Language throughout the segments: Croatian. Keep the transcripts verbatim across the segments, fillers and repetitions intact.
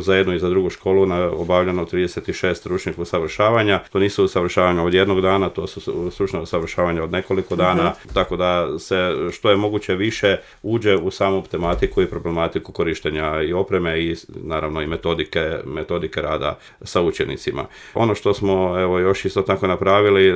za jednu i za drugu školu obavljeno trideset šest stručnih usavršavanja. To nisu usavršavanja od jednog dana, to su stručna usavršavanja od nekoliko dana, uh-huh. tako da se što je moguće više uđe u samu tematiku i problematiku korištenja i opreme i naravno i metodike, metodike rada sa učenicima. Ono što smo evo još isto tako napravili,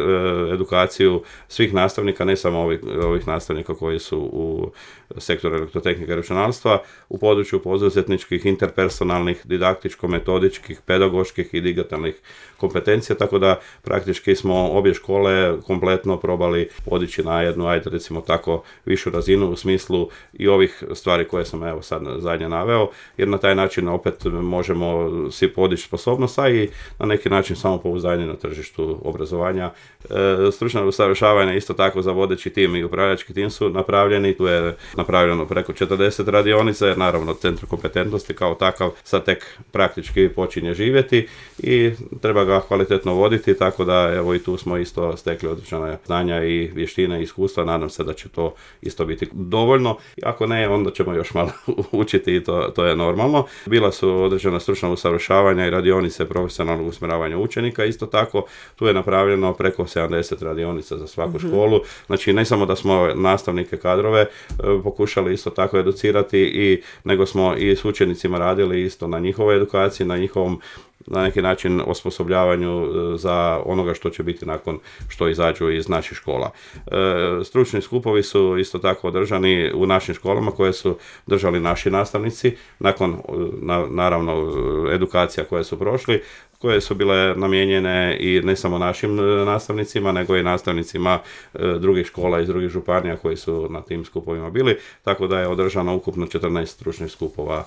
edukaciju svih nastavnika, ne samo ovih, ovih nastavnika koji su u sektoru elektrotehnike i računalstva, u području poduzetničkih, interpersonalnih, didaktičko-metodičkih, pedagoških i digitalnih kompetencija, tako da praktički smo obje škole kompletno probali podići na jednu, ajde recimo tako, višu razinu u smislu i ovih stvari koje sam evo sad zadnje naveo, jer na taj način opet možemo si podići sposobnost, a i na neki način samopouzdanje na tržištu obrazovanja. E, stručno usavršavanje isto tako za vodeći tim i upravljački tim su napravljeni, tu je napravljeno preko četrdeset radionica, jer naravno centar kompetentnosti kao takav sad tek praktički počinje živjeti i treba ga kvalitetno voditi, tako da evo i tu smo isto stekli određena znanja i vještine i iskustva, nadam se da će to isto biti dovoljno, ako ne, onda ćemo još malo učiti i to, to je normalno. Bila su određena stručna usavršavanja i radionice profesionalnog usmjeravanja učenika, isto tako tu je napravljeno preko sedamdeset radionica za svaku mm-hmm. školu, znači ne samo da smo nastavnike kadrove pokušali isto tako educirati, i nego smo i s učenicima radili isto na njihovoj edukaciji, na njihovom na neki način osposobljavanju za onoga što će biti nakon što izađu iz naših škola. E, stručni skupovi su isto tako održani u našim školama koje su držali naši nastavnici nakon na, naravno edukacija koje su prošli, koje su bile namijenjene i ne samo našim nastavnicima, nego i nastavnicima drugih škola iz drugih županija koji su na tim skupovima bili, tako da je održano ukupno četrnaest stručnih skupova